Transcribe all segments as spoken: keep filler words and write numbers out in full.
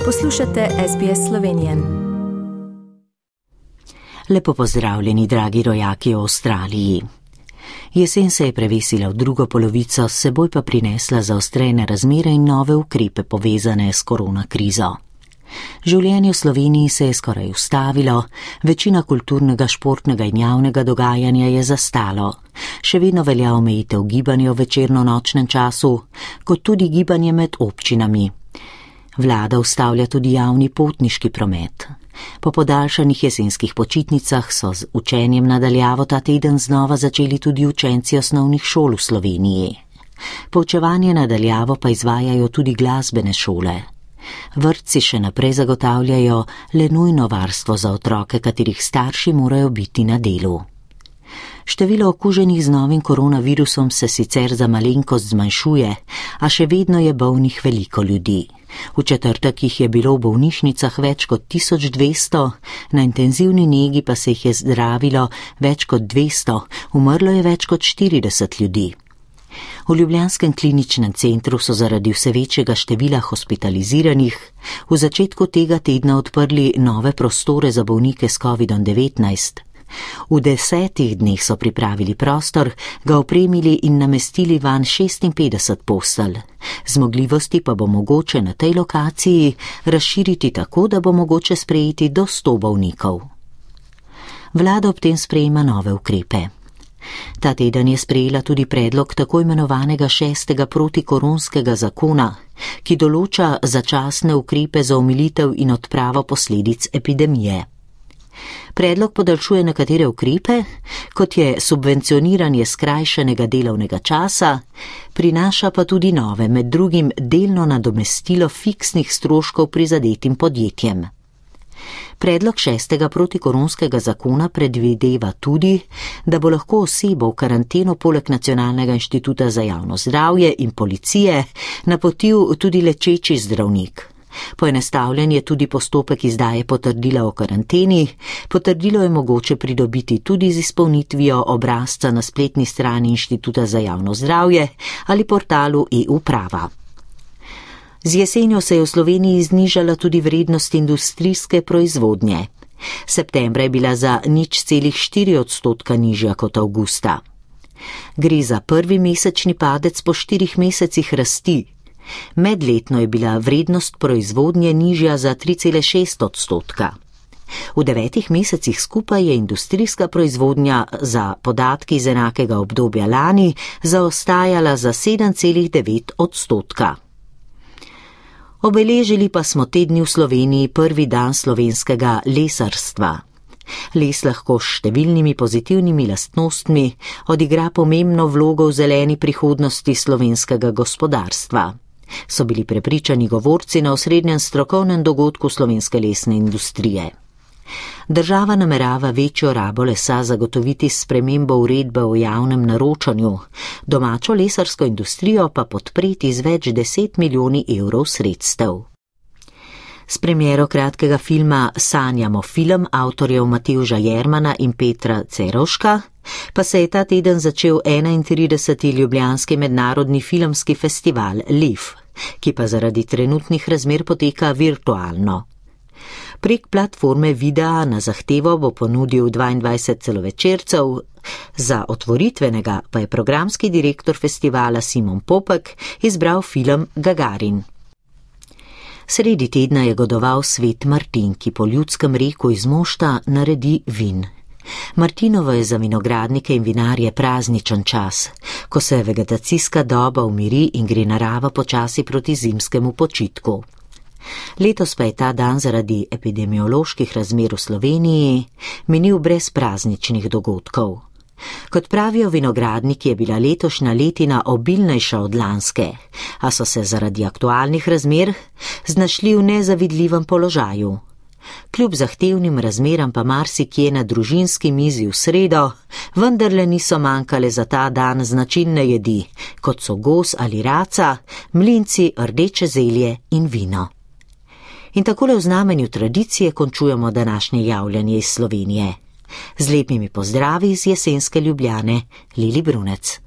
Poslušate S B S Slovenije. Lepo pozdravljeni, dragi rojaki v Avstraliji. Jesen se je prevesila v drugo polovico, s seboj pa prinesla zaostrene razmere in nove ukrepe povezane s korona krizo. Življenje v Sloveniji se je skoraj ustavilo, večina kulturnega, športnega in javnega dogajanja je zastalo. Še vedno velja omejitev gibanja v večerno-nočnem času, kot tudi gibanje med občinami. Vlada ustavlja tudi javni potniški promet. Po podaljšanih jesenskih počitnicah so z učenjem nadaljavo ta teden znova začeli tudi učenci osnovnih šol v Sloveniji. Poučevanje nadaljavo pa izvajajo tudi glasbene šole. Vrtci še naprej zagotavljajo le nujno varstvo za otroke, katerih starši morajo biti na delu. Število okuženih z novim koronavirusom se sicer za malenkost zmanjšuje, a še vedno je bolnih veliko ljudi. V četrtek jih je bilo v bolnišnicah več kot tisoč dvesto, na intenzivni negi pa se jih je zdravilo več kot dvesto, umrlo je več kot štirideset ljudi. V ljubljanskem kliničnem centru so zaradi vse večjega števila hospitaliziranih v začetku tega tedna odprli nove prostore za bolnike s kovidom devetnajst. V desetih dneh so pripravili prostor, ga opremili in namestili vanj šestinpetdeset postelj. Zmogljivosti pa bo mogoče na tej lokaciji razširiti tako, da bo mogoče sprejeti do sto bolnikov. Vlada ob tem sprejema nove ukrepe. Ta teden je sprejela tudi predlog tako imenovanega šestega protikoronskega zakona, ki določa začasne ukrepe za omilitev in odpravo posledic epidemije. Predlog podaljšuje nekatere ukrepe, kot je subvencioniranje skrajšanega delovnega časa, prinaša pa tudi nove, med drugim delno nadomestilo fiksnih stroškov prizadetim podjetjem. Predlog šestega protikoronskega zakona predvideva tudi, da bo lahko osebo v karanteno poleg Nacionalnega inštituta za javno zdravje in policije napotil tudi lečeči zdravnik. Poenostavljen je tudi postopek izdaje potrdila o karanteni. Potrdilo je mogoče pridobiti tudi z izpolnitvijo obrazca na spletni strani Inštituta za javno zdravje ali portalu e-uprava. Z jesenjo se je v Sloveniji znižala tudi vrednost industrijske proizvodnje. Septembra je bila za nič celih štiri odstotka nižja kot avgusta. Gre za prvi mesečni padec po štirih mesecih rasti. Medletno je bila vrednost proizvodnje nižja za tri cele šest odstotka. V devetih mesecih skupaj je industrijska proizvodnja za podatki iz enakega obdobja lani zaostajala za sedem cele devet odstotka. Obeležili pa smo te dni v Sloveniji prvi dan slovenskega lesarstva. Les lahko s številnimi pozitivnimi lastnostmi odigra pomembno vlogo v zeleni prihodnosti slovenskega gospodarstva. So bili prepričani govorci na osrednjem strokovnem dogodku slovenske lesne industrije. Država namerava večjo rabo lesa zagotoviti s spremembo uredbe o javnem naročanju, domačo lesarsko industrijo pa podpreti z več deset milijoni evrov sredstev. S premiero kratkega filma Sanjamo film avtorjev Matevža Jermana in Petra Cerovška pa se je ta teden začel enaintrideseti ljubljanski mednarodni filmski festival L I F, ki pa zaradi trenutnih razmer poteka virtualno. Prek platforme videa na zahtevo bo ponudil dvaindvajset celovečercev, za otvoritvenega pa je programski direktor festivala Simon Popek izbral film Gagarin. Sredi tedna je godoval Svet Martin, ki po ljudskem reku iz mošta naredi vin. Martinovo je za vinogradnike in vinarje prazničen čas, ko se vegetacijska doba umiri in gre narava počasi proti zimskemu počitku. Letos pa je ta dan zaradi epidemioloških razmer v Sloveniji minil brez prazničnih dogodkov. Kot pravijo vinogradniki, je bila letošnja letina obilnejša od lanske, a so se zaradi aktualnih razmer znašli v nezavidljivem položaju. Kljub zahtevnim razmeram pa marsikje na družinski mizi v sredo, vendarle niso manjkale za ta dan značilne jedi, kot so gos ali raca, mlinci, rdeče zelje in vino. In takole v znamenju tradicije končujemo današnje javljanje iz Slovenije. Z lepimi pozdravi iz jesenske Ljubljane, Lili Brunec.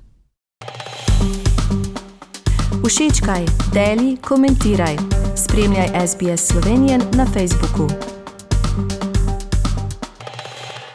Všečkaj, deli, komentiraj. Spremljaj S B S Slovenian na Facebooku.